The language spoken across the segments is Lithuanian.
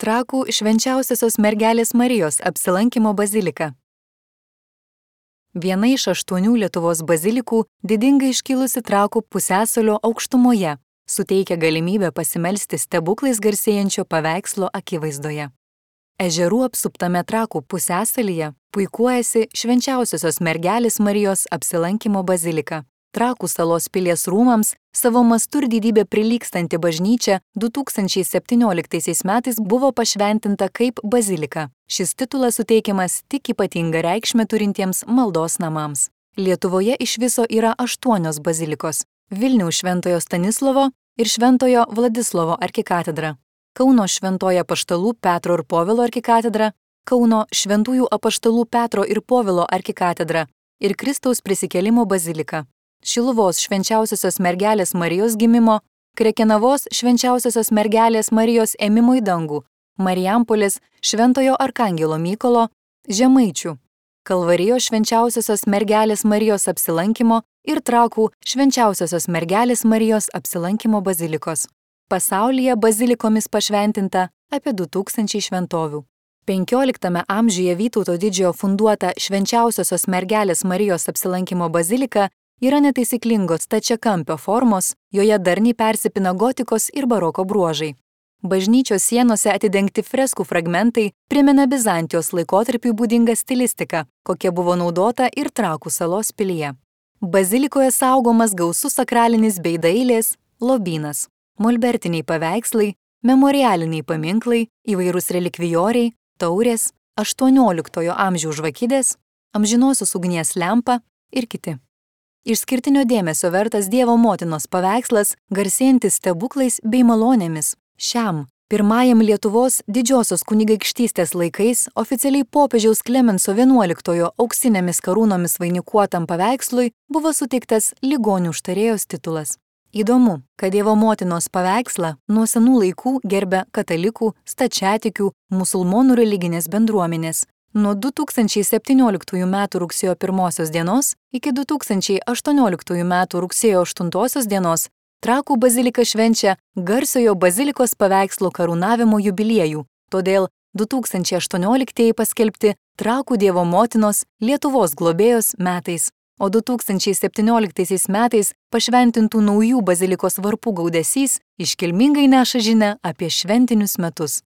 Trakų švenčiausiosios mergelės Marijos apsilankymo bazilika. Viena iš 8 Lietuvos bazilikų, didingai iškilusi Trakų pusiasalio aukštumoje, suteikia galimybę pasimelsti stebuklais garsėjančio paveikslo akivaizdoje. Ežerų apsuptame Trakų pusiasalyje puikuojasi švenčiausiosios mergelės Marijos apsilankymo bazilika. Trakų salos pilies rūmams savo mastu ir didybę prilygstanti bažnyčia 2017 metais buvo pašventinta kaip bazilika. Šis titulas suteikiamas tik ypatingą reikšmę turintiems maldos namams. Lietuvoje iš viso yra 8 bazilikos – Vilniaus Šventojo Stanislovo ir Šventojo Vladislovo arkikatedra, Kauno Šventojo Apaštalų Petro ir Povilo arkikatedra, Kauno Šventųjų Apaštalų Petro ir Povilo arkikatedra ir Kristaus prisikėlimo bazilika. Šiluvos švenčiausiosios mergelės Marijos gimimo, Krekenavos švenčiausiosios mergelės Marijos ėmimo į dangų, Marijampolės Šventojo Arkangelo Mykolo, Žemaičių, Kalvarijos švenčiausiosios mergelės Marijos apsilankymo ir Trakų švenčiausiosios mergelės Marijos apsilankymo bazilikos. Pasaulyje bazilikomis pašventinta apie 2000 šventovių. 15 amžiuje Vytauto Didžiojo funduota švenčiausiosios mergelės Marijos apsilankymo bazilika yra netaisyklingos stačiakampio formos, joje darniai persipina gotikos ir baroko bruožai. Bažnyčios sienose atidengti freskų fragmentai primena Bizantijos laikotarpiui būdingą stilistiką, kokia buvo naudota ir Trakų salos pilyje. Bazilikoje saugomas gausus sakralinis bei dailės lobynas, molbertiniai paveikslai, memorialiniai paminklai, įvairūs relikvijoriai, taurės, 18 amžiaus žvakidės, amžinosios ugnies lempa ir kiti. Išskirtinio dėmesio vertas Dievo motinos paveikslas, garsėjantis stebuklais bei malonėmis. Šiam, pirmajam Lietuvos didžiosios kunigaikštystės laikais oficialiai popiežiaus Klemenso XI auksinėmis karūnomis vainikuotam paveikslui buvo suteiktas ligonių užtarėjos titulas. Įdomu, kad Dievo motinos paveikslą nuo senų laikų gerbia katalikų, stačiatikių, musulmonų religinės bendruomenės. Nuo 2017 m. rugsėjo 1 dienos iki 2018 m. rugsėjo 8 dienos Trakų bazilika švenčia garsiojo bazilikos paveikslo karūnavimo jubiliejų, todėl 2018 paskelbti Trakų Dievo motinos Lietuvos globėjos metais, o 2017 metais pašventintų naujų bazilikos varpų gaudesys iškilmingai neša žinią apie šventinius metus.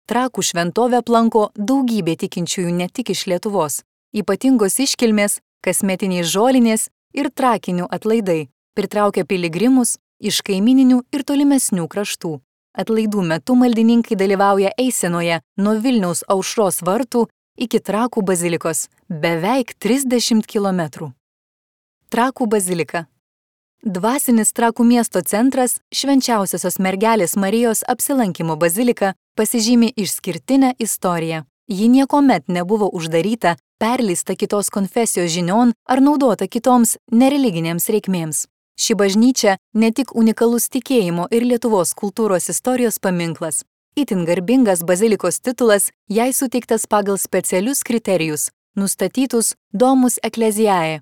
Trakų šventovę aplanko daugybė tikinčiųjų ne tik iš Lietuvos. Ypatingos iškilmės, kasmetiniai žolinės ir trakinių atlaidai pritraukia piligrimus iš kaimyninių ir tolimesnių kraštų. Atlaidų metu maldininkai dalyvauja eisenoje nuo Vilniaus Aušros vartų iki Trakų bazilikos beveik 30 km. Trakų bazilika. Dvasinis Trakų miesto centras, švenčiausiosios mergelės Marijos apsilankymo bazilika, pasižymi išskirtinę istoriją. Ji niekuomet nebuvo uždaryta, perleista kitos konfesijos žinion ar naudota kitoms nereliginėms reikmėms. Ši bažnyčia ne tik unikalus tikėjimo ir Lietuvos kultūros istorijos paminklas. Itin garbingas bazilikos titulas jai suteiktas pagal specialius kriterijus, nustatytus Domus Ecclesiae.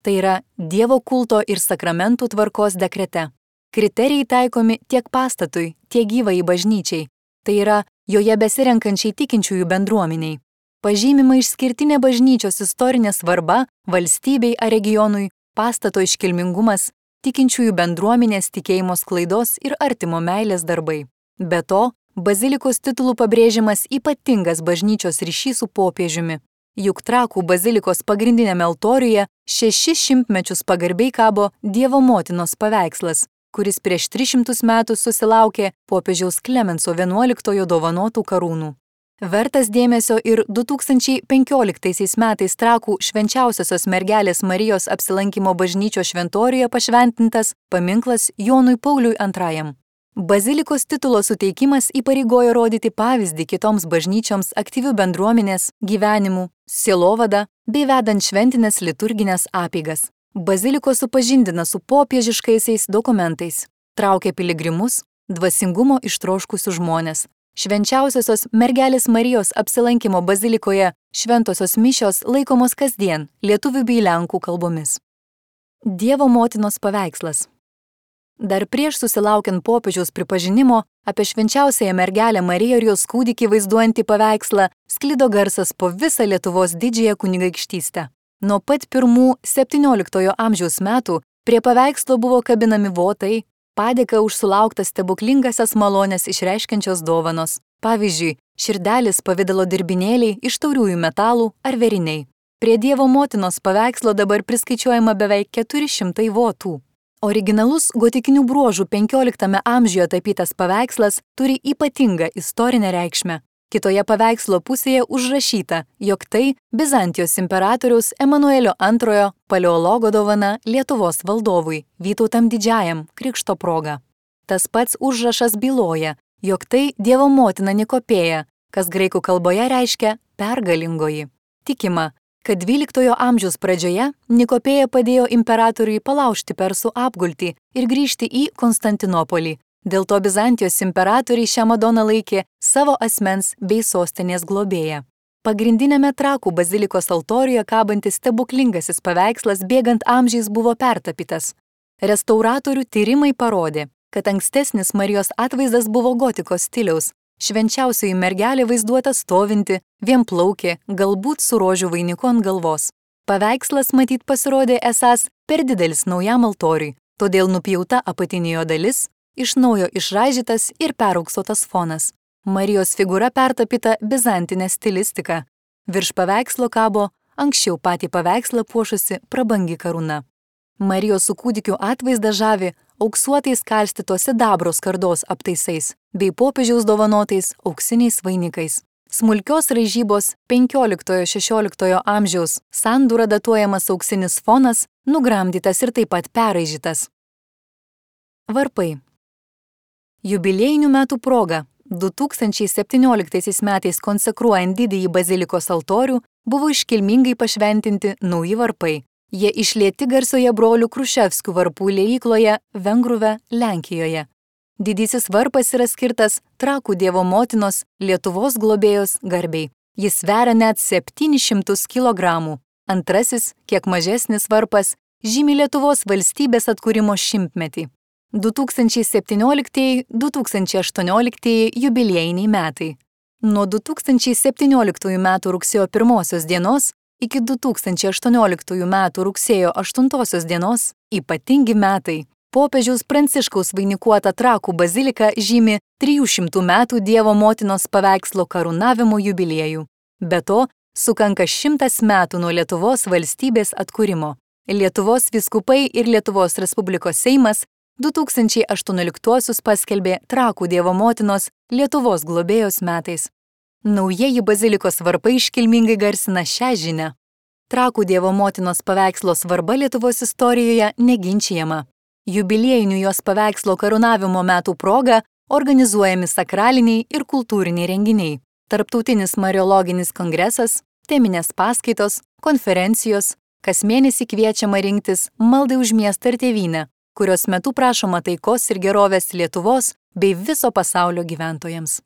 Tai yra Dievo kulto ir sakramentų tvarkos dekrete. Kriterijai taikomi tiek pastatui, tiek gyvai bažnyčiai. Tai yra joje besirenkančiai tikinčiųjų bendruomeniai. Pažymima išskirtinė bažnyčios istorinė svarba valstybei ar regionui, pastato iškilmingumas, tikinčiųjų bendruomenės tikėjimo sklaidos ir artimo meilės darbai. Be to, bazilikos titulų pabrėžiamas ypatingas bažnyčios ryšys su popiežiumi. Juk Trakų bazilikos pagrindinėme altoriuje 600 mečius pagarbiai kabo Dievo motinos paveikslas, kuris prieš 300 metų susilaukė popiežiaus Klemenso XI dovanotų karūnų. Vertas dėmesio ir 2015 metais Trakų švenčiausiosios mergelės Marijos apsilankymo bažnyčios šventoriuje pašventintas paminklas Jonui Pauliui II. Bazilikos titulo suteikimas įpareigojo rodyti pavyzdį kitoms bažnyčioms aktyvių bendruomenės, gyvenimų, sielovada bei vedant šventinės liturginės apeigas. Bazilikos supažindina su popiežiškaisiais dokumentais, traukia piligrimus, dvasingumo ištroškusius žmones. Švenčiausiosios mergelės Marijos apsilankymo bazilikoje šventosios mišios laikomos kasdien lietuvių bei lenkų kalbomis. Dievo motinos paveikslas. Dar prieš susilaukiant popiežiaus pripažinimo apie švenčiausiąją mergelę Mariją ir jos kūdikį vaizduojantį paveikslą sklido garsas po visą Lietuvos didžiąją kunigaikštystę. Nuo pat pirmų XVII amžiaus metų prie paveikslo buvo kabinami votai, padėka už sulauktas stebuklingasias malones išreiškiančios dovanos. Pavyzdžiui, širdelis pavidalo dirbinėliai iš tauriųjų metalų ar veriniai. Prie Dievo motinos paveikslo dabar priskaičiuojama beveik 400 votų. Originalus gotikinių bruožų 15 amžiuje tapytas paveikslas turi ypatingą istorinę reikšmę. Kitoje paveikslo pusėje užrašyta, jog tai Bizantijos imperatoriaus Emanuelio II paleologo dovana Lietuvos valdovui Vytautam Didžiajam krikšto proga. Tas pats užrašas byloja, jog tai Dievo motina Nikopėja, kas graikų kalboje reiškia pergalingoji. Tikima, kad XII amžiaus pradžioje Nikopėja padėjo imperatoriui palaužti persų apgultį ir grįžti į Konstantinopolį. Dėl to Bizantijos imperatoriai šią Madoną laikė savo asmens bei sostinės globėja. Pagrindinėme Trakų bazilikos altoriuje kabantis stebuklingasis paveikslas bėgant amžiais buvo pertapytas. Restauratorių tyrimai parodė, kad ankstesnis Marijos atvaizdas buvo gotikos stiliaus. Švenčiausioji mergelė vaizduota stovinti, vienplaukė, galbūt su rožių vainiku ant galvos. Paveikslas matyt pasirodė esąs per didelis naujam altoriui, todėl nupjauta apatinė jo dalis, iš naujo išraižytas ir perauksuotas fonas. Marijos figūra pertapyta bizantinė stilistika. Virš paveikslo kabo anksčiau patį paveikslą puošusi prabangi karūna. Marijos su kūdikiu atvaizdą žavi auksuotais kalstytos sidabro skardos aptaisais bei popiežiaus dovanotais auksiniais vainikais. Smulkios raižybos 15–16 amžiaus sandūra datuojamas auksinis fonas, nugramdytas ir taip pat perraižytas. Varpai. Jubiliejinių metų proga 2017 metais konsekruojant didįjį bazilikos altorių buvo iškilmingai pašventinti nauji varpai. Jie išlieti garsioje brolių Kruševskių varpų liejykloje Vengruve, Lenkijoje. Didysis varpas yra skirtas Trakų Dievo motinos Lietuvos globėjos garbei. Jis sveria net 700 kg. Antrasis, kiek mažesnis varpas, žymi Lietuvos valstybės atkūrimo šimtmetį. 2017–2018 jubiliejiniai metai. Nuo 2017 metų rugsėjo 1 dienos iki 2018 metų rugsėjo 8 dienos ypatingi metai. Popiežiaus Pranciškaus vainikuota Trakų bazilika žymi 300 metų Dievo motinos paveikslo karūnavimo jubiliejų. Be to, sukanka 100 metų nuo Lietuvos valstybės atkūrimo. Lietuvos vyskupai ir Lietuvos Respublikos Seimas 2018 paskelbė Trakų Dievo motinos Lietuvos globėjos metais. Naujieji bazilikos varpai iškilmingai garsina šią žinią. Trakų Dievo motinos paveikslo svarba Lietuvos istorijoje neginčijama. Jubiliejinių jos paveikslo karūnavimo metų proga organizuojami sakraliniai ir kultūriniai renginiai. Tarptautinis mariologinis kongresas, teminės paskaitos, konferencijos, kas mėnesį kviečiama rinktis maldai už miestą ir tėvynę, kurios metu prašoma taikos ir gerovės Lietuvos bei viso pasaulio gyventojams.